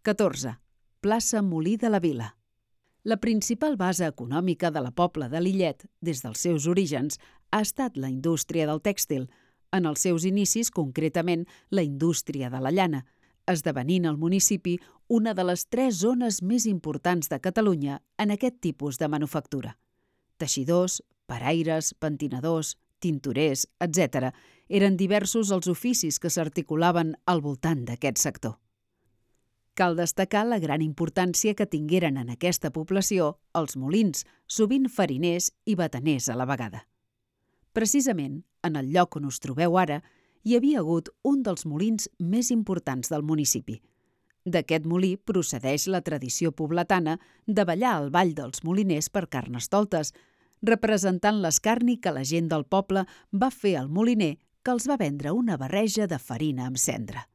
14. Plaça Molí de la Vila. La principal base econòmica de la Pobla de Lillet, des dels seus orígens, ha estat la indústria del tèxtil, en els seus inicis concretament la indústria de la llana, esdevenint el municipi una de les 3 zones més importants de Catalunya en aquest tipus de manufactura. Teixidors, paraires, pentinadors, tintorers, etc. eren diversos els oficis que s'articulaven al voltant d'aquest sector. Cal destacar la gran importància que tingueren en aquesta població els molins, sovint fariners i bataners a la vegada. Precisament, en el lloc on us trobeu ara, hi havia hagut un dels molins més importants del municipi. D'aquest molí procedeix la tradició pobletana de ballar al ball dels moliners per Carnestoltes, representant l'escarni que la gent del poble va fer al moliner que els va vendre una barreja de farina amb cendra.